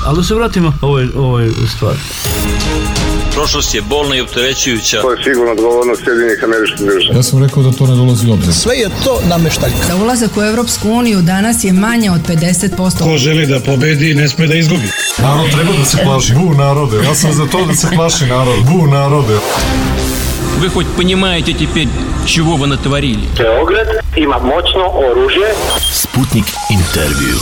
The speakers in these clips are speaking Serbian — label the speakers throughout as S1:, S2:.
S1: Ali da se vratimo ovoj stvari.
S2: Prošlost je bolna i opterećujuća.
S3: To je sigurno odgovornost Sjedinjenih Američkih Država.
S4: Ja sam rekao da to ne dolazi u obzir.
S5: Sve je to nameštaljka.
S6: Za ulazak u Evropsku uniju danas je manje od 50%.
S7: Ko želi da pobedi, ne sme da izgubi.
S4: Narod treba da se plaši. Bu narode. Ja sam za to da se plaši narod. Bu narode.
S2: Вы хоть понимаете теперь, чего вы натворили?
S3: Beograd ima moćno oružje.
S8: Sputnik intervju.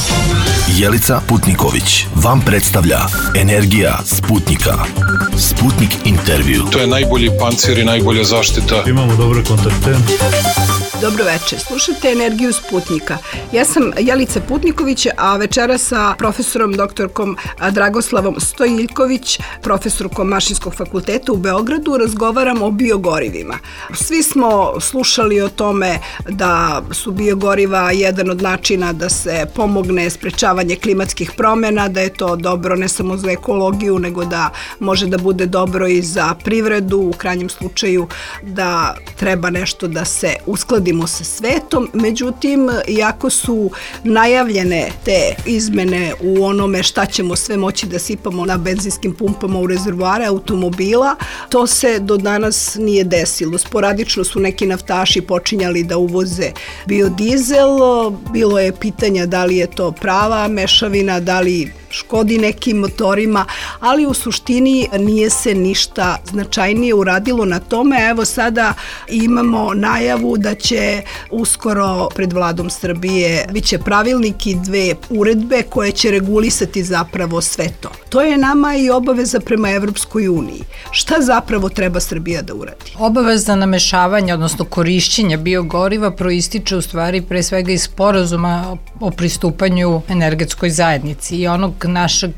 S8: Jelica Putniković vam predstavlja Energija Sputnika. Sputnik intervju.
S4: To je najbolji pancir i najbolja zaštita.
S1: Imamo dobre kontakte.
S9: Dobro večer, slušate Energiju Sputnika. Ja sam Jelica Putniković, a večera sa profesorom doktorkom Dragoslavom Stojiljković, profesorkom Mašinskog fakulteta u Beogradu, razgovaram o biogorivima. Svi smo slušali o tome da su biogoriva jedan od načina da se pomogne sprečavanje klimatskih promjena, da je to dobro ne samo za ekologiju, nego da može da bude dobro i za privredu, u krajnjem slučaju da treba nešto da se uskladi sa svetom, međutim, iako su najavljene te izmene u onome šta ćemo sve moći da sipamo na benzinskim pumpama u rezervoare automobila, to se do danas nije desilo. Sporadično su neki naftaši počinjali da uvoze biodizel, bilo je pitanja da li je to prava mešavina, da li škodi nekim motorima, ali u suštini nije se ništa značajnije uradilo na tome. Evo sada imamo najavu da će uskoro pred vladom Srbije biće pravilnik i 2 uredbe koje će regulisati zapravo sve to. To je nama i obaveza prema Evropskoj uniji. Šta zapravo treba Srbija da uradi?
S6: Obaveza namešavanja, odnosno korišćenja biogoriva proističe u stvari pre svega iz sporazuma o pristupanju energetskoj zajednici i onog našeg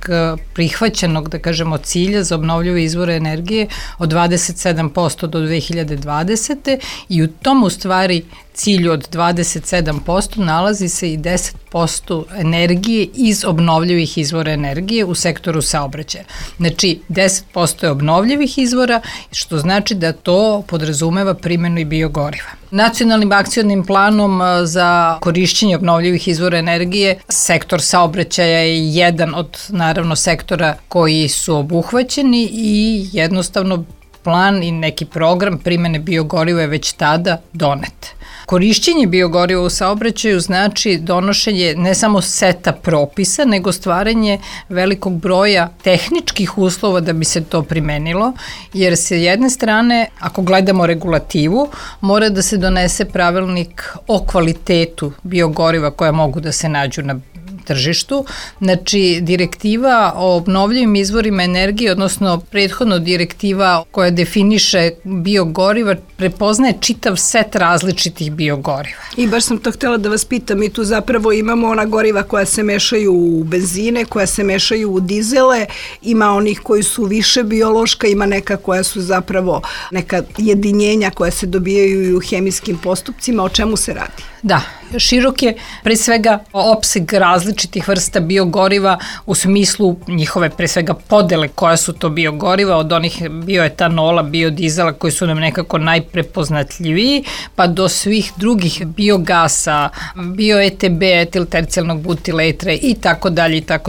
S6: prihvaćenog, da kažemo, cilja za obnovljive izvore energije od 27% do 2020. I u tom u stvari cilju od 27% nalazi se i 10% energije iz obnovljivih izvora energije u sektoru saobraćaja. Znači, 10% je obnovljivih izvora, što znači da to podrazumeva primjenu i biogoriva. Nacionalnim akcionim planom za korišćenje obnovljivih izvora energije sektor saobraćaja je jedan od, naravno, sektora koji su obuhvaćeni i jednostavno plan i neki program primjene biogoriva je već tada donet. Korišćenje biogoriva u saobraćaju znači donošenje ne samo seta propisa, nego stvaranje velikog broja tehničkih uslova da bi se to primenilo, jer se jedne strane, ako gledamo regulativu, mora da se donese pravilnik o kvalitetu biogoriva koja mogu da se nađu na tržištu. Znači, direktiva o obnovljivim izvorima energije, odnosno prethodno direktiva koja definiše biogoriva, prepoznaje čitav set različitih biogoriva.
S9: I baš sam to htjela da vas pitam, mi tu zapravo imamo ona goriva koja se mešaju u benzine, koja se mešaju u dizele, ima onih koji su više biološka, ima neka koja su zapravo neka jedinjenja koja se dobijaju i u hemijskim postupcima. O čemu se radi?
S6: Da, širok je pre svega opseg različitih vrsta biogoriva u smislu njihove pre svega podele koja su to biogoriva, od onih bioetanola, biodizela koji su nam nekako najprepoznatljiviji, pa do svih drugih biogasa, bio-ETB, etiltercijalnog butiletra i tako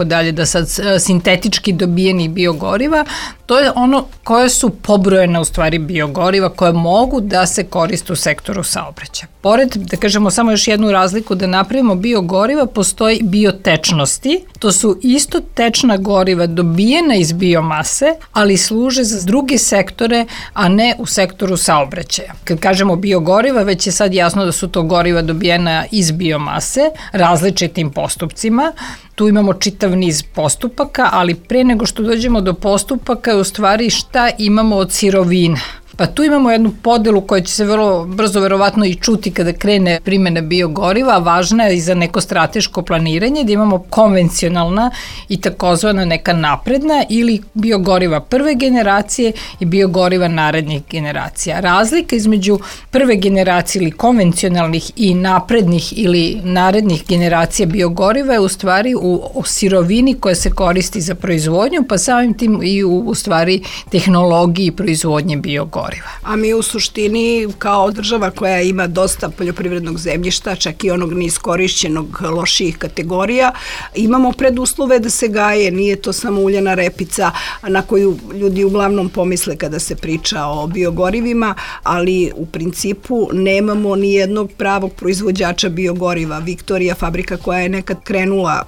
S6: dalje, da sad sintetički dobijenih biogoriva. To je ono koje su pobrojene u stvari biogoriva koje mogu da se koriste u sektoru saobraćaja. Pored, da kažemo samo još jednu razliku, da napravimo biogoriva, postoji biotečnosti. To su isto tečna goriva dobijena iz biomase, ali služe za druge sektore, a ne u sektoru saobraćaja. Kad kažemo biogoriva, već je sad jasno da su to goriva dobijena iz biomase, različitim postupcima. Tu imamo čitav niz postupaka, ali pre nego što dođemo do postupaka je u stvari šta imamo od sirovina. Pa tu imamo jednu podelu koja će se vrlo brzo verovatno i čuti kada krene primjena biogoriva, važna je i za neko strateško planiranje, da imamo konvencionalna i takozvana neka napredna ili biogoriva prve generacije i biogoriva narednih generacija. Razlika između prve generacije ili konvencionalnih i naprednih ili narednih generacija biogoriva je u stvari u sirovini koja se koristi za proizvodnju, pa samim tim i u stvari tehnologiji proizvodnje biogoriva. biogoriva.
S9: A mi u suštini kao država koja ima dosta poljoprivrednog zemljišta, čak i onog neiskorišćenog lošijih kategorija, imamo preduslove da se gaje, nije to samo uljana repica na koju ljudi uglavnom pomisle kada se priča o biogorivima, ali u principu nemamo ni jednog pravog proizvođača biogoriva. Viktorija, fabrika koja je nekad krenula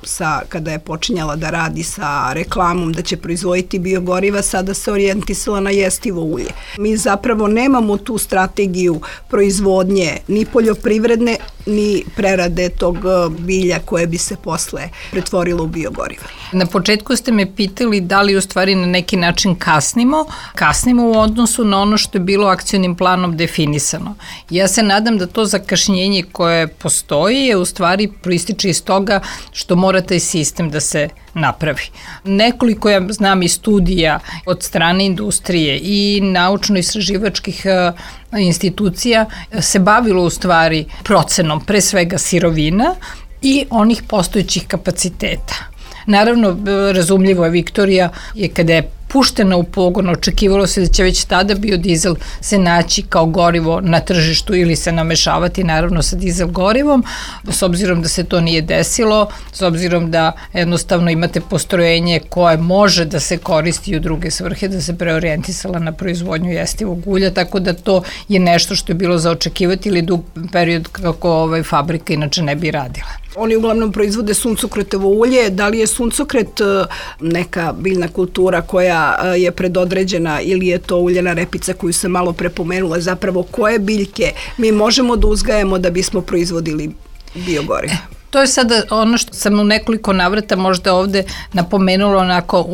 S9: kada je počinjala da radi sa reklamom da će proizvoditi biogoriva, sada se orijentisala na jestivo ulje. Mi zapravo nemamo tu strategiju proizvodnje ni poljoprivredne, ni prerade tog bilja koje bi se posle pretvorilo u biogoriva.
S6: Na početku ste me pitali da li u stvari na neki način kasnimo. Kasnimo u odnosu na ono što je bilo akcionim planom definisano. Ja se nadam da to zakašnjenje koje postoji je u stvari proističe iz toga što mora taj sistem da se napravi. Nekoliko, ja znam, i studija od strane industrije i naučno-istraživačkih institucija se bavilo u stvari procenom pre svega sirovina i onih postojećih kapaciteta. Naravno, razumljivo je, Viktorija je kada je puštena u pogon, očekivalo se da će već tada biodizel se naći kao gorivo na tržištu ili se namešavati naravno sa dizel gorivom, s obzirom da se to nije desilo, s obzirom da jednostavno imate postrojenje koje može da se koristi u druge svrhe, da se preorijentisala na proizvodnju jestivog ulja, tako da to je nešto što je bilo za očekivati ili dug period kako fabrika inače ne bi radila.
S9: Oni uglavnom proizvode suncokretovo ulje. Da li je suncokret neka biljna kultura koja je predodređena ili je to uljana repica koju sam malo prepomenula? Zapravo koje biljke mi možemo da uzgajamo da bismo proizvodili biogorivo?
S6: To je sada ono što sam u nekoliko navrata možda ovde napomenula onako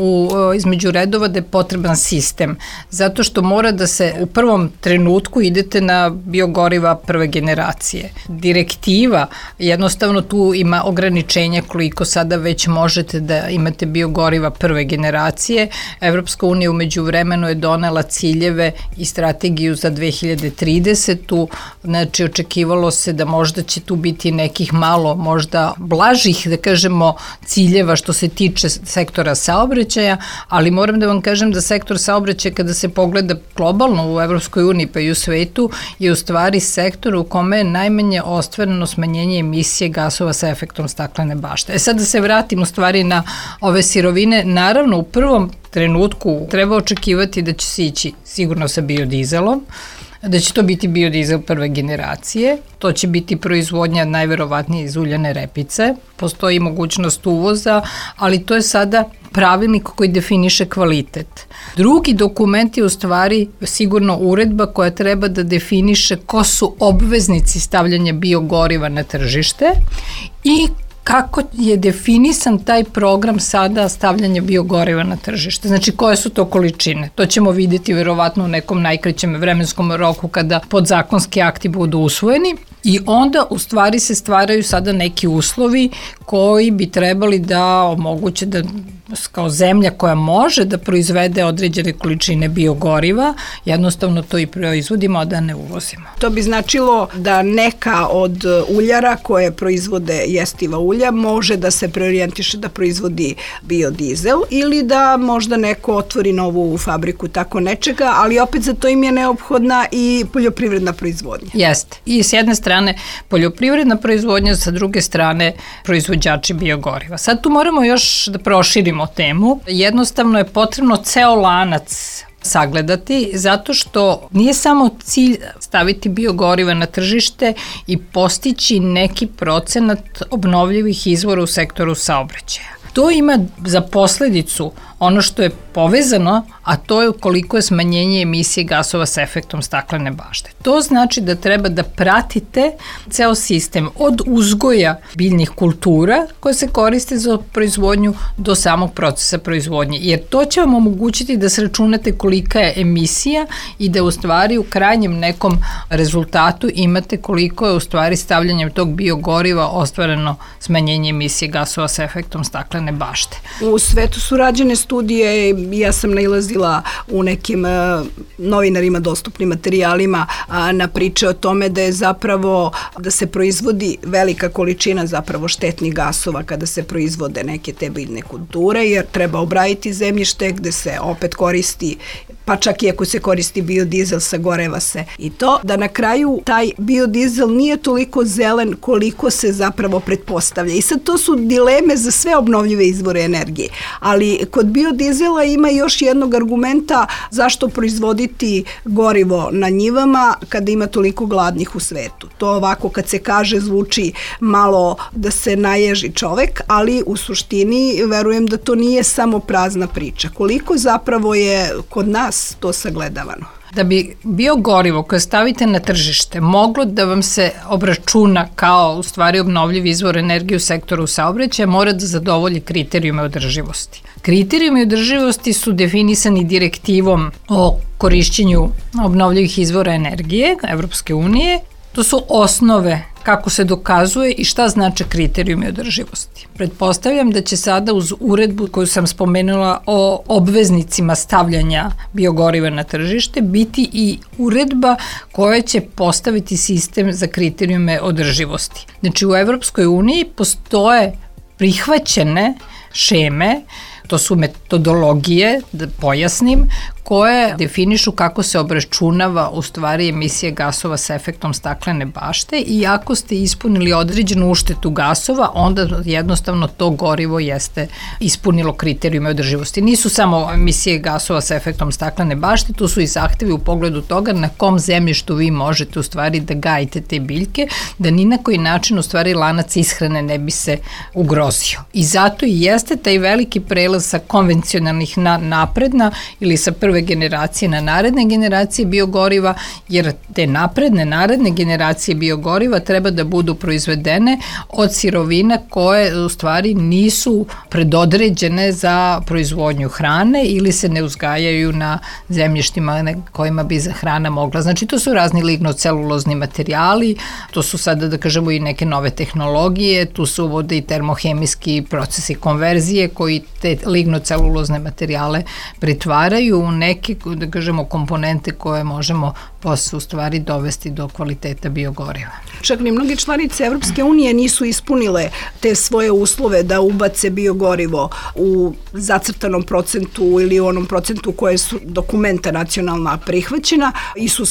S6: između redova da je potreban sistem, zato što mora da se u prvom trenutku idete na biogoriva prve generacije. Direktiva, jednostavno tu ima ograničenja koliko sada već možete da imate biogoriva prve generacije. Evropska unija umeđu vremenu je donela ciljeve i strategiju za 2030. Znači očekivalo se da možda će tu biti nekih malo možda blažih, da kažemo, ciljeva što se tiče sektora saobraćaja, ali moram da vam kažem da sektor saobraćaja kada se pogleda globalno u Evropskoj uniji pa i u svetu je u stvari sektor u kome je najmanje ostvareno smanjenje emisije gasova sa efektom staklene bašte. Sad da se vratim u stvari na ove sirovine, naravno u prvom trenutku treba očekivati da će se ići sigurno sa biodizelom, da će to biti biodizel prve generacije, to će biti proizvodnja najverovatnije iz uljane repice, postoji mogućnost uvoza, ali to je sada pravilnik koji definiše kvalitet. Drugi dokument je u stvari sigurno uredba koja treba da definiše ko su obveznici stavljanja biogoriva na tržište i kako je definisan taj program sada stavljanja biogoriva na tržište. Znači, koje su to količine? To ćemo vidjeti verovatno u nekom najkraćem vremenskom roku kada podzakonski akti budu usvojeni i onda u stvari se stvaraju sada neki uslovi koji bi trebali da omoguće da kao zemlja koja može da proizvede određene količine biogoriva, jednostavno to i proizvodimo, a da ne uvozimo.
S9: To bi značilo da neka od uljara koje proizvode jestiva ulja može da se preorijentiše da proizvodi biodizel ili da možda neko otvori novu fabriku tako nečega, ali opet za to im je neophodna i poljoprivredna proizvodnja.
S6: Jeste. I s jedne strane poljoprivredna proizvodnja, sa druge strane proizvođači biogoriva. Sad tu moramo još da proširimo temu. Jednostavno je potrebno ceo lanac sagledati, zato što nije samo cilj staviti biogoriva na tržište i postići neki procenat obnovljivih izvora u sektoru saobraćaja. To ima za posledicu ono što je povezano, a to je koliko je smanjenje emisije gasova sa efektom staklene bašte. To znači da treba da pratite ceo sistem od uzgoja biljnih kultura koje se koriste za proizvodnju do samog procesa proizvodnje, jer to će vam omogućiti da sračunate kolika je emisija i da u stvari u krajnjem nekom rezultatu imate koliko je u stvari stavljanjem tog biogoriva ostvareno smanjenje emisije gasova sa efektom staklene bašte.
S9: U svetu su rađene studije, ja sam nailazila u nekim novinarima dostupnim materijalima na priče o tome da je zapravo da se proizvodi velika količina zapravo štetnih gasova kada se proizvode neke te biljne kulture, jer treba obraditi zemljište gde se opet koristi pa čak i ako se koristi biodizel, sagoreva se i to, da na kraju taj biodizel nije toliko zelen koliko se zapravo pretpostavlja. I sad to su dileme za sve obnovljive izvore energije. Ali kod biodizela ima još jednog argumenta zašto proizvoditi gorivo na njivama kada ima toliko gladnih u svetu. To ovako kad se kaže zvuči malo da se naježi čovek, ali u suštini verujem da to nije samo prazna priča. Koliko zapravo je kod nas to sagledavano?
S6: Da bi biogorivo koje stavite na tržište moglo da vam se obračuna kao u stvari obnovljivi izvor energije u sektoru saobraćaja, mora da zadovolji kriterijume održivosti. Kriterijumi održivosti su definisani direktivom o korišćenju obnovljivih izvora energije Evropske unije. To su osnove kako se dokazuje i šta znače kriterijumi održivosti. Pretpostavljam da će sada uz uredbu koju sam spomenula o obveznicima stavljanja biogoriva na tržište biti i uredba koja će postaviti sistem za kriterijume održivosti. Znači u Evropskoj uniji postoje prihvaćene šeme, to su metodologije, da pojasnim, koje definišu kako se obračunava u stvari emisije gasova sa efektom staklene bašte i ako ste ispunili određenu uštetu gasova, onda jednostavno to gorivo jeste ispunilo kriterijume održivosti. Nisu samo emisije gasova sa efektom staklene bašte, tu su i zahtevi u pogledu toga na kom zemljištu vi možete u stvari da gajite te biljke, da ni na koji način u stvari lanac ishrane ne bi se ugrozio. I zato i jeste taj veliki prelaz sa konvencionalnih na napredna ili sa prve generacije na naredne generacije biogoriva, jer te naredne generacije biogoriva treba da budu proizvedene od sirovina koje u stvari nisu predodređene za proizvodnju hrane ili se ne uzgajaju na zemljištima kojima bi za hrana mogla. Znači to su razni lignocelulozni materijali, to su sada da kažemo i neke nove tehnologije, tu su uvode i termohemijski procesi konverzije koji te lignocelulozne materijale pretvaraju u neke, da kažemo, komponente koje možemo posle u stvari dovesti do kvaliteta biogoriva.
S9: Čak ni mnoge članice Evropske unije nisu ispunile te svoje uslove da ubace biogorivo u zacrtanom procentu ili u onom procentu koje su dokumenta nacionalna prihvaćena.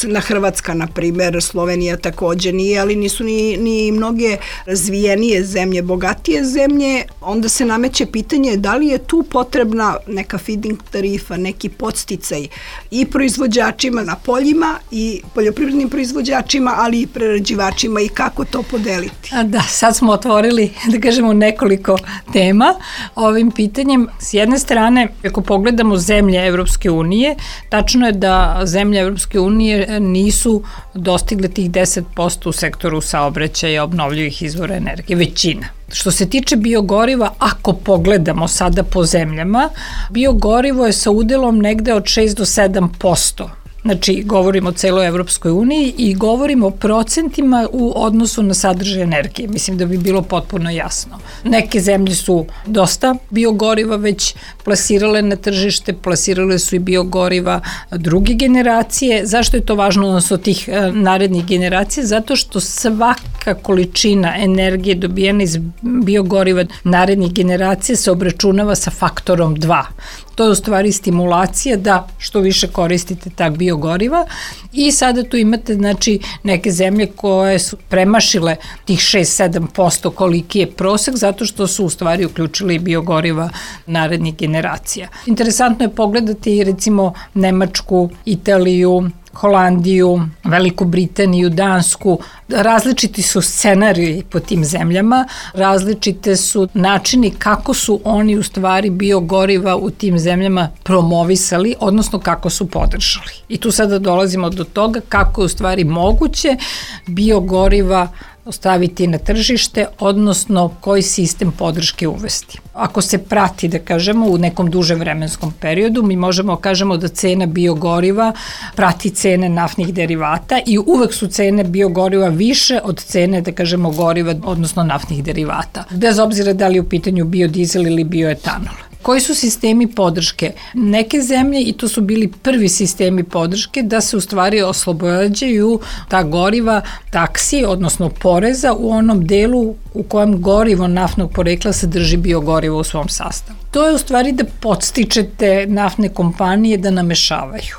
S9: Na Hrvatska, na primer, Slovenija takođe nije, ali nisu ni mnoge razvijenije zemlje, bogatije zemlje. Onda se nameće pitanje da li je tu potrebna neka feeding tarifa, neki podsticaj i proizvođačima na poljima i poljoprivrednim proizvođačima, ali i prerađivačima i kako to podeliti.
S6: Da, sad smo otvorili, da kažemo, nekoliko tema ovim pitanjem. S jedne strane, ako pogledamo zemlje Evropske unije, tačno je da zemlje Evropske unije nisu dostigle tih 10% u sektoru saobraćaja obnovljivih izvora energije, većina. Što se tiče biogoriva, ako pogledamo sada po zemljama, biogorivo je sa udelom negde od 6 do 7%. Znači, govorimo o celoj Evropskoj uniji i govorimo o procentima u odnosu na sadržaj energije. Mislim da bi bilo potpuno jasno. Neke zemlje su dosta biogoriva već plasirale na tržište, plasirale su i biogoriva druge generacije. Zašto je to važno odnosno tih narednih generacija? Zato što svaka količina energije dobijena iz biogoriva narednih generacija se obračunava sa faktorom 2. To je u stvari stimulacija da što više koristite tak biogoriva i sada tu imate znači neke zemlje koje su premašile tih 6-7% koliki je prosek zato što su u stvari uključili biogoriva narednih generacija. Interesantno je pogledati recimo Nemačku, Italiju, Holandiju, Veliku Britaniju, Dansku. Različiti su scenariji po tim zemljama, različite su načini kako su oni u stvari biogoriva u tim zemljama promovisali, odnosno kako su podržali. I tu sada dolazimo do toga kako je u stvari moguće biogoriva staviti na tržište, odnosno koji sistem podrške uvesti. Ako se prati, da kažemo, u nekom dužem vremenskom periodu, mi možemo kažemo da cena biogoriva prati cene naftnih derivata i uvek su cene biogoriva više od cene, da kažemo, goriva, odnosno naftnih derivata. Bez obzira da li je u pitanju biodizel ili bioetanol. Koji su sistemi podrške? Neke zemlje, i to su bili prvi sistemi podrške, da se u stvari oslobađaju ta goriva taksi, odnosno poreza u onom delu u kojem gorivo naftnog porekla sadrži biogorivo u svom sastavu. To je u stvari da podstičete naftne kompanije da namešavaju.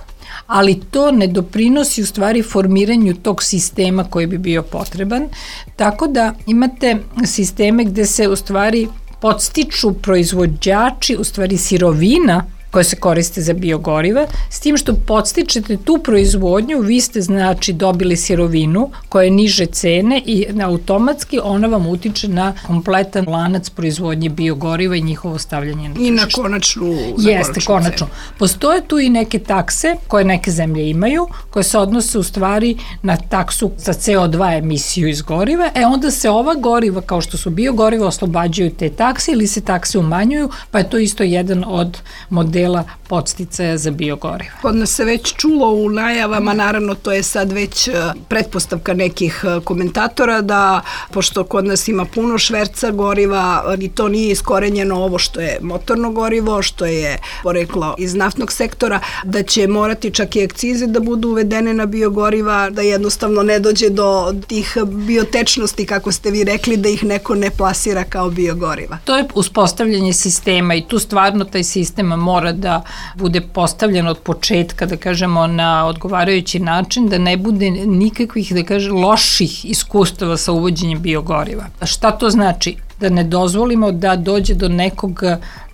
S6: ali to ne doprinosi u stvari formiranju tog sistema koji bi bio potreban, tako da imate sisteme gde se u stvari podstiču proizvođači, u stvari sirovina koje se koriste za biogoriva, s tim što podstičete tu proizvodnju, vi ste znači dobili sirovinu koja je niže cene i automatski ona vam utiče na kompletan lanac proizvodnje biogoriva i njihovo stavljanje na tržište.
S9: I na konačnu
S6: Jeste, konačno. Postoje tu i neke takse koje neke zemlje imaju, koje se odnose u stvari na taksu za CO2 emisiju iz goriva, onda se ova goriva, kao što su biogoriva, oslobađaju te takse ili se takse umanjuju, pa je to isto jedan od modela podsticaja za biogoriva.
S9: Kod nas se već čulo u najavama, naravno to je sad već pretpostavka nekih komentatora da, pošto kod nas ima puno šverca goriva i to nije iskorenjeno ovo što je motorno gorivo, što je poreklo iz naftnog sektora, da će morati čak i akcize da budu uvedene na biogoriva, da jednostavno ne dođe do tih biotečnosti, kako ste vi rekli, da ih neko ne plasira kao biogoriva.
S6: To je uspostavljanje sistema i tu stvarno taj sistem mora da bude postavljen od početka, da kažemo, na odgovarajući način, da ne bude nikakvih, da kažem, loših iskustava sa uvođenjem biogoriva. Šta to znači? Da ne dozvolimo da dođe do nekog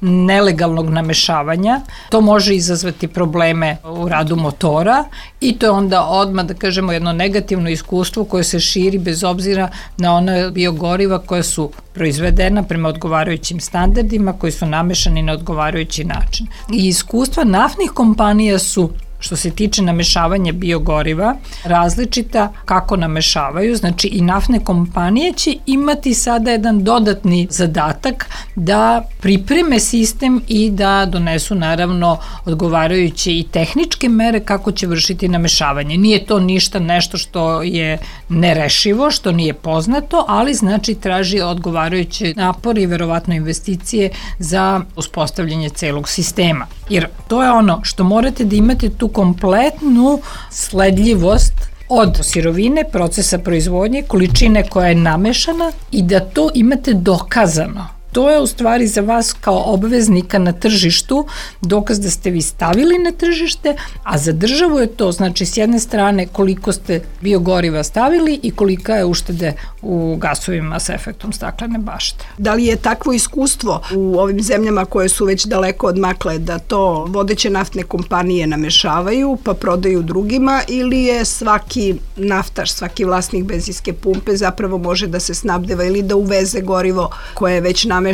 S6: nelegalnog namešavanja. To može izazvati probleme u radu motora i to je onda odmah, da kažemo, jedno negativno iskustvo koje se širi bez obzira na ona biogoriva koja su proizvedena prema odgovarajućim standardima, koji su namešani na odgovarajući način. I iskustva naftnih kompanija su, što se tiče namešavanja biogoriva, različita kako namešavaju, znači i naftne kompanije će imati sada jedan dodatni zadatak da pripreme sistem i da donesu naravno odgovarajuće i tehničke mere kako će vršiti namešavanje. Nije to ništa nešto što je nerešivo, što nije poznato, ali znači traži odgovarajuće napore i verovatno investicije za uspostavljanje celog sistema. Jer to je ono što morate da imate tu kompletnu sledljivost od sirovine, procesa proizvodnje, količine koja je namešana i da to imate dokazano. To je u stvari za vas kao obveznika na tržištu dokaz da ste vi stavili na tržište, a za državu je to, znači s jedne strane koliko ste biogoriva stavili i kolika je uštede u gasovima sa efektom staklene bašte.
S9: Da li je takvo iskustvo u ovim zemljama koje su već daleko odmakle da to vodeće naftne kompanije namešavaju pa prodaju drugima, ili je svaki naftaš, svaki vlasnik benzinske pumpe zapravo može da se snabdeva ili da uveze gorivo koje je već namešano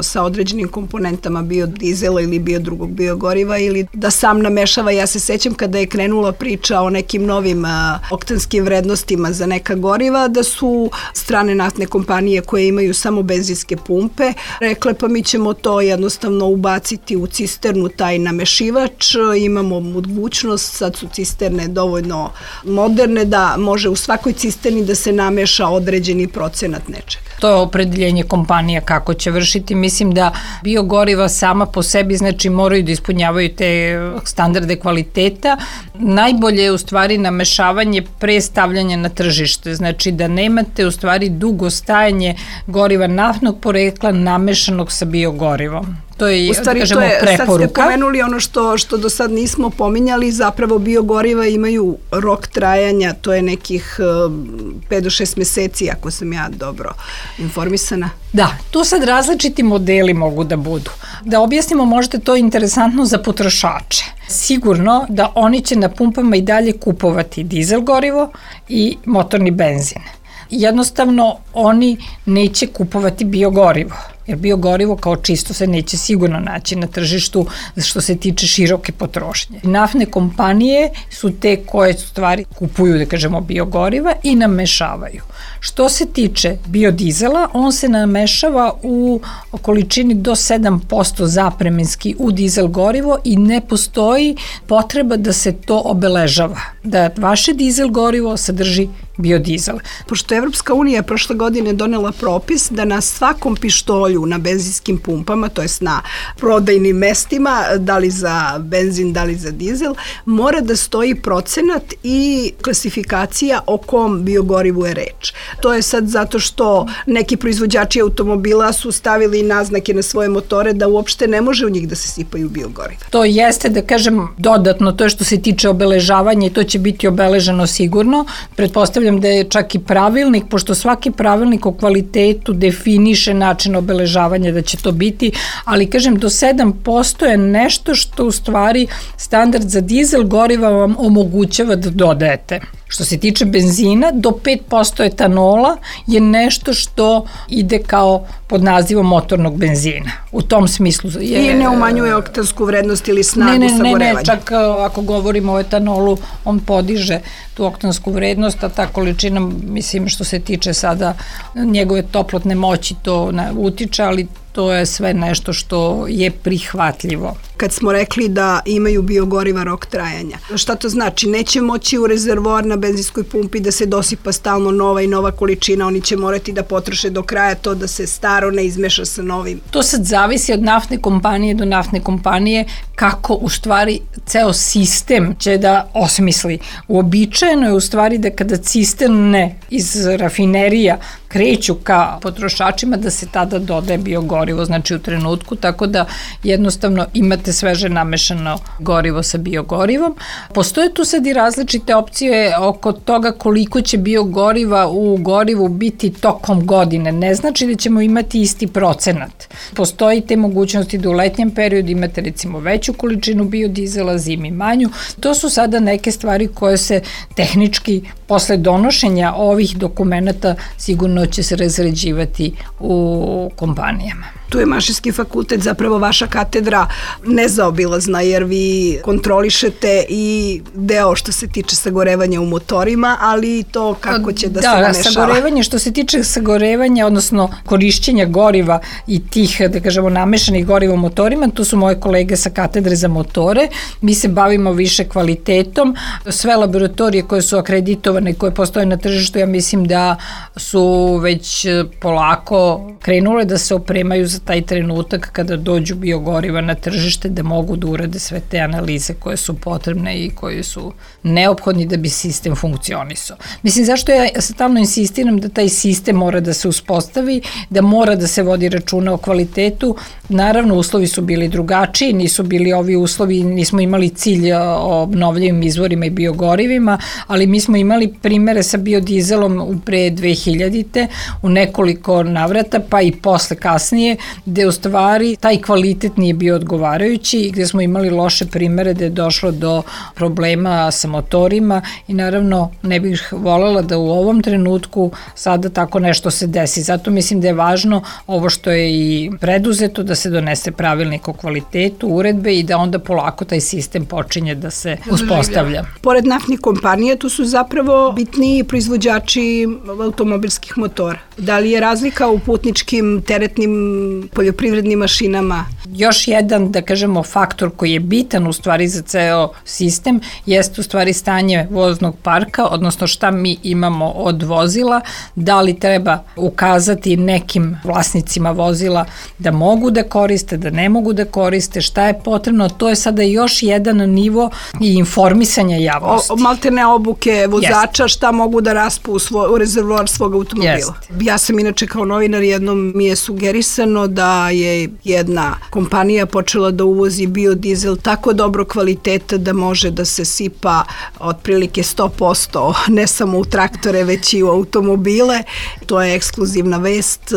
S9: sa određenim komponentama biodizela ili drugog biogoriva, ili da sam namešava? Ja se sećam kada je krenula priča o nekim novim oktanskim vrednostima za neka goriva, da su strane naftne kompanije koje imaju samo benzinske pumpe rekle pa mi ćemo to jednostavno ubaciti u cisternu, taj namešivač, imamo mogućnost, sad su cisterne dovoljno moderne da može u svakoj cisterni da se nameša određeni procenat nečega.
S6: To je opredeljenje kompanija kako će vršiti. Mislim da biogoriva sama po sebi, znači moraju da ispunjavaju te standarde kvaliteta. Najbolje je u stvari namešavanje pre stavljanja na tržište, znači da nemate u stvari dugo stajanje goriva naftnog porekla namešanog sa biogorivom. To je, da kažemo, preporuka.
S9: Sad ste pomenuli ono što do sad nismo pominjali, zapravo biogoriva imaju rok trajanja, to je nekih 5 do 6 meseci, ako sam ja dobro informisana.
S6: Da, tu sad različiti modeli mogu da budu. Da objasnimo, možda to je interesantno za potrošače. Sigurno da oni će na pumpama i dalje kupovati dizel gorivo i motorni benzin. Jednostavno, oni neće kupovati biogorivo, jer biogorivo kao čisto se neće sigurno naći na tržištu što se tiče široke potrošnje. Naftne kompanije su te koje stvari kupuju, da kažemo, biogoriva i namešavaju. Što se tiče biodizela, on se namešava u količini do 7% zapremenski u dizel gorivo i ne postoji potreba da se to obeležava, da vaše dizel gorivo sadrži biodizel.
S9: Pošto Evropska unija prošle godine donela propis da na svakom pištolju polju na benzinskim pumpama, to jest na prodajnim mestima, da li za benzin, da li za dizel, mora da stoji procenat i klasifikacija o kom biogorivu je reč. To je sad zato što neki proizvođači automobila su stavili naznake na svoje motore da uopšte ne može u njih da se sipaju biogoriva.
S6: To jeste, da kažem, dodatno, to je što se tiče obeležavanja i to će biti obeleženo sigurno. Pretpostavljam da je čak i pravilnik, pošto svaki pravilnik o kvalitetu definiše način obeležavanja da će to biti, ali kažem do 7% je nešto što u stvari standard za dizel goriva vam omogućava da dodajete. Što se tiče benzina, do 5% etanola je nešto što ide kao pod nazivom motornog benzina. U tom smislu je...
S9: I ne umanjuje oktansku vrednost ili snagu sagorevanja.
S6: Ne, čak ako govorimo o etanolu, on podiže tu oktansku vrednost, a ta količina, mislim, što se tiče sada njegove toplotne moći, to utiče, ali to je sve nešto što je prihvatljivo.
S9: Kad smo rekli da imaju biogoriva rok trajanja, šta to znači? Neće moći u rezervoar na benzinskoj pumpi da se dosipa stalno nova i nova količina, oni će morati da potroše do kraja to da se staro ne izmeša sa novim.
S6: To sad zavisi od naftne kompanije do naftne kompanije kako u stvari ceo sistem će da osmisli. Uobičajeno je u stvari da kada cisterne iz rafinerija kreću ka potrošačima da se tada dodaje biogorivo, znači u trenutku, tako da jednostavno imate sveže namešano gorivo sa biogorivom. Postoje tu sad i različite opcije oko toga koliko će biogoriva u gorivu biti tokom godine. Ne znači da ćemo imati isti procenat. Postoji te mogućnosti da u letnjem periodu imate recimo veću količinu biodizela, zimi manju. To su sada neke stvari koje se tehnički posle donošenja ovih dokumenata sigurno će se razređivati u kompanijama.
S9: Tu je Mašinski fakultet, zapravo vaša katedra nezaobilazna, jer vi kontrolišete i deo što se tiče sagorevanja u motorima, ali i to kako će da se namešava.
S6: Da, sagorevanje, što se tiče sagorevanja, odnosno korišćenja goriva i tih, da kažemo, namešanih goriva u motorima, tu su moje kolege sa katedre za motore. Mi se bavimo više kvalitetom. Sve laboratorije koje su akreditovane, koje postoje na tržištu, ja mislim da su već polako krenule da se opremaju za taj trenutak kada dođu biogoriva na tržište, da mogu da urade sve te analize koje su potrebne i koje su neophodni da bi sistem funkcionisao. Mislim, zašto ja stalno insistiram da taj sistem mora da se uspostavi, da mora da se vodi računa o kvalitetu. Naravno, uslovi su bili drugačiji, nisu bili ovi uslovi, nismo imali cilj o obnovljivim izvorima i biogorivima, ali mi smo imali primere sa biodizelom pre 2000-te u nekoliko navrata, pa i posle kasnije, gde u stvari taj kvalitet nije bio odgovarajući i gde smo imali loše primere gde je došlo do problema sa motorima i naravno ne bih voljela da u ovom trenutku sada tako nešto se desi. Zato mislim da je važno ovo što je i preduzeto, da se donese pravilnik o kvalitetu, uredbe i da onda polako taj sistem počinje da se uspostavlja.
S9: Pored naftnih kompanija, tu su zapravo bitniji proizvođači automobilskih motora. Da li je razlika u putničkim, teretnim, poljoprivrednim mašinama?
S6: Još jedan, da kažemo, faktor koji je bitan u stvari za ceo sistem jeste u stvari stanje voznog parka, odnosno šta mi imamo od vozila, da li treba ukazati nekim vlasnicima vozila da mogu da koriste, da ne mogu da koriste, šta je potrebno, to je sada još jedan nivo i informisanja javnosti.
S9: Maltene obuke vozača, šta mogu da raspu u rezervoar svog automobila. Ja sam inače kao novinar, jednom mi je sugerisano da je jedna kompanija počela da uvozi biodizel tako dobro kvaliteta da može da se sipa otprilike 100%, ne samo u traktore, već i u automobile. To je ekskluzivna vest.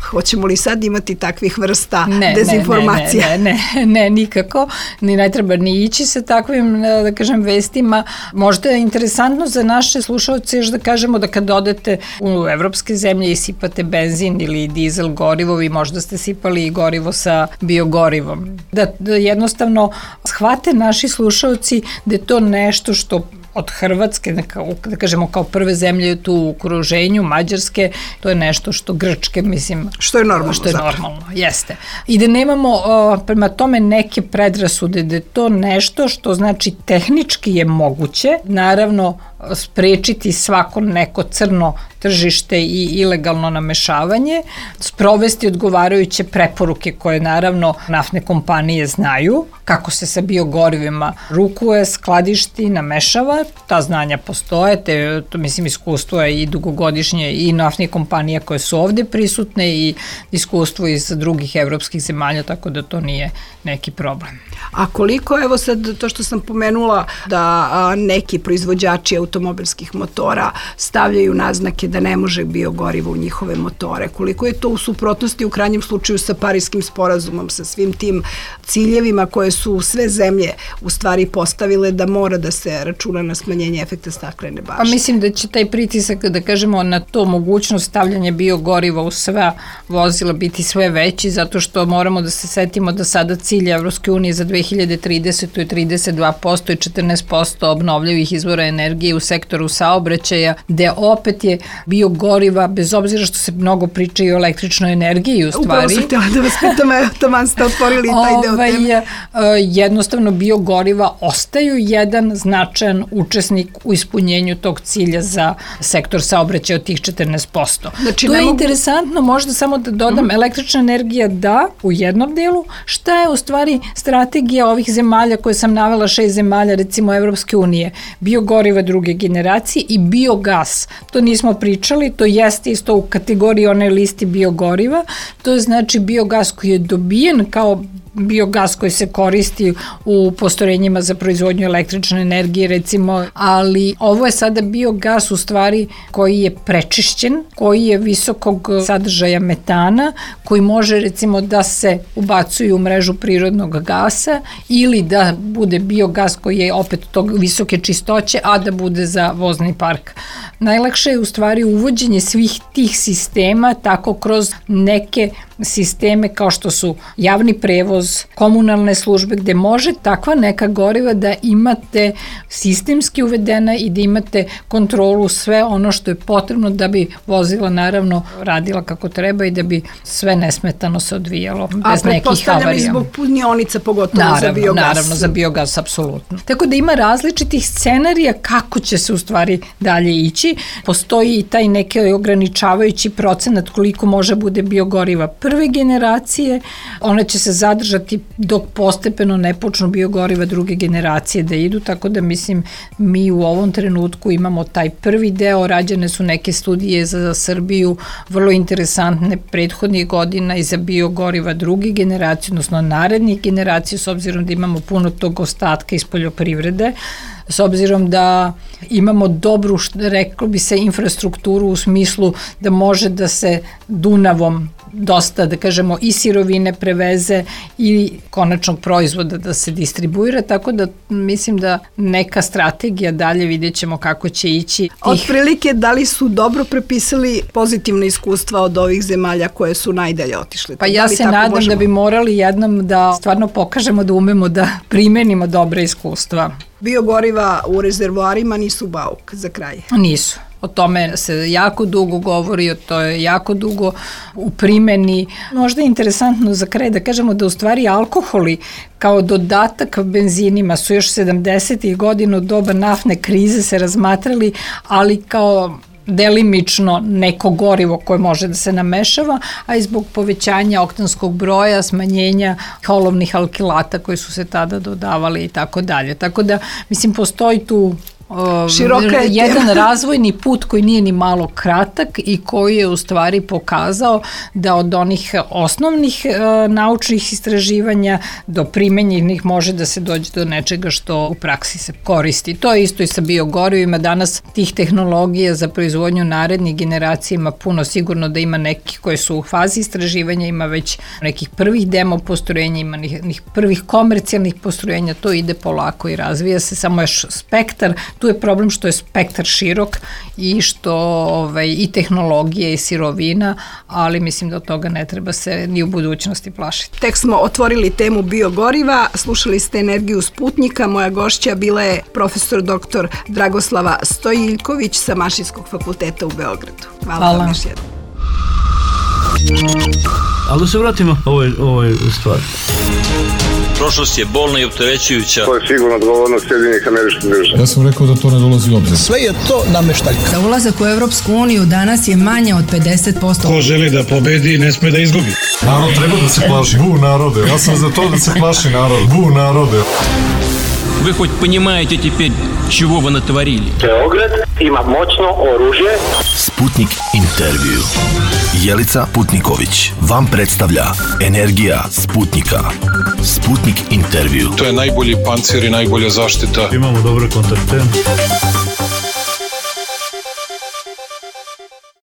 S9: Hoćemo li sad imati takvih vrsta dezinformacija?
S6: Ne, nikako. Ni ne treba ni ići sa takvim, da kažem, vestima. Možda je interesantno za naše slušalce još da kažemo da kad odete u evropske zemlje i sipate benzin ili dizel gorivo, vi možda ste sipali i gorivo sa biogorivom. Da jednostavno shvate naši slušalci da je to nešto što od Hrvatske, da kažemo kao prve zemlje tu u okruženju, Mađarske, to je nešto što Grčke, mislim...
S9: Što je normalno.
S6: Što je normalno, jeste. I da nemamo prema tome neke predrasude, da je to nešto što znači tehnički je moguće, naravno sprečiti svako neko crno tržište i ilegalno namešavanje, sprovesti odgovarajuće preporuke koje naravno naftne kompanije znaju, kako se sa biogorivima rukuje, skladišti, namešava, ta znanja postoje, to mislim iskustvo je i dugogodišnje i naftnih kompanija koje su ovde prisutne i iskustvo iz drugih evropskih zemalja, tako da to nije neki problem.
S9: A koliko, evo sad to što sam pomenula, da neki proizvođači automobilskih motora stavljaju naznake da ne može biogorivo u njihove motore, koliko je to u suprotnosti u krajnjem slučaju sa Parijskim sporazumom, sa svim tim ciljevima koje su sve zemlje u stvari postavile da mora da se računa na smanjenje efekta staklene bašte?
S6: Pa mislim da će taj pritisak, da kažemo, na to mogućnost stavljanja biogoriva u sva vozila biti sve veći, zato što moramo da se setimo da sada cilj Evropske unije za 2030. je 32% i 14% obnovljivih izvora energije u sektoru saobraćaja, gde opet je biogoriva, bez obzira što se mnogo priča i o električnoj energiji u stvari.
S9: Upravo sam htjela da vas pitam, taman ste otvorili taj deo teme.
S6: Jednostavno biogoriva ostaju jedan značajan učesnik u ispunjenju tog cilja za sektor saobraćaja od tih 14%. Znači, to je interesantno, možda samo da dodam, električna energija da, u jednom delu, šta je u stvari strategija ovih zemalja koje sam navela, 6 zemalja, recimo Evropske unije, biogoriva druge generacije i biogas. To nismo pričali, to jeste isto u kategoriji one listi biogoriva, to je znači biogas koji je dobijen kao biogas koji se koristi u postrojenjima za proizvodnju električne energije recimo, ali ovo je sada biogas u stvari koji je prečišćen, koji je visokog sadržaja metana, koji može recimo da se ubacuje u mrežu prirodnog gasa ili da bude biogas koji je opet tog visoke čistoće, a da bude za vozni park. Najlakše je u stvari uvođenje svih tih sistema tako kroz neke sisteme kao što su javni prevoz, komunalne službe, gde može takva neka goriva da imate sistemski uvedena i da imate kontrolu sve ono što je potrebno da bi vozila naravno radila kako treba i da bi sve nesmetano se odvijalo bez nekih havarija. A
S9: pretpostavljam i zbog punionica pogotovo za biogas.
S6: Naravno, za biogas, apsolutno. Tako da ima različitih scenarija kako će se u stvari dalje ići. Postoji i taj neki ograničavajući procenat koliko može bude biogoriva prve generacije, ona će se zadržati dok postepeno ne počnu biogoriva druge generacije da idu, tako da mislim mi u ovom trenutku imamo taj prvi deo, rađene su neke studije za Srbiju, vrlo interesantne prethodnih godina i za biogoriva druge generacije, odnosno narednih generacija, s obzirom da imamo puno tog ostatka iz poljoprivrede, s obzirom da imamo dobru, reklo bi se, infrastrukturu u smislu da može da se Dunavom dosta, da kažemo, i sirovine preveze i konačnog proizvoda da se distribuira, tako da mislim da neka strategija dalje vidjet ćemo kako će ići.
S9: Otprilike, da li su dobro prepisali pozitivne iskustva od ovih zemalja koje su najdalje otišle?
S6: Pa ja se nadam da bi morali jednom da stvarno pokažemo da umemo da primenimo dobre iskustva.
S9: Biogoriva u rezervoarima nisu bauk za kraj?
S6: Nisu. O tome se jako dugo govori, to je jako dugo u primeni. Možda je interesantno za kraj da kažemo da u stvari alkoholi kao dodatak benzinima su još 70. godina u doba naftne krize se razmatrali, ali kao delimično neko gorivo koje može da se namešava, a i zbog povećanja oktanskog broja, smanjenja olovnih alkilata koji su se tada dodavali i tako dalje. Tako da, mislim, postoji tu jedan razvojni put koji nije ni malo kratak i koji je u stvari pokazao da od onih osnovnih naučnih istraživanja do primenjenih može da se dođe do nečega što u praksi se koristi. To je isto i sa biogorivima. Danas tih tehnologija za proizvodnju narednih generacija ima puno, sigurno da ima nekih koji su u fazi istraživanja, ima već nekih prvih demo postrojenja, ima prvih komercijalnih postrojenja, to ide polako i razvija se, samo još spektar Tu je problem što je spektar širok i što i tehnologije i sirovina, ali mislim da od toga ne treba se ni u budućnosti plašiti.
S9: Tek smo otvorili temu biogoriva, slušali ste Energiju Sputnika, moja gošća bila je profesor dr. Dragoslava Stojiljković sa Mašinskog fakulteta u Beogradu. Hvala vam još jednom.
S1: Ali da se vratimo ovoj stvari.
S2: Prošlost je bolna i opterećujuća.
S3: To je sigurno odgovornost Sjedinjenih Američkih Država.
S4: Ja sam rekao da to ne dolazi u obzir.
S5: Sve je to nameštaljka.
S10: Za ulazak u Evropsku uniju danas je manje od 50%.
S7: Ko želi da pobedi, ne sme da izgubi.
S4: Narod treba da se plaši. Bu narode. Ja sam za to da se plaši narod. Bu narode.
S2: Вы хоть понимаете теперь, чего вы натворили?
S3: Beograd ima moćno oružje.
S8: Sputnik intervju. Jelica Putniković vam predstavlja Energija Sputnika. Sputnik intervju.
S7: To je najbolji pancir i najbolja zaštita.
S1: Imamo dobre kontakte.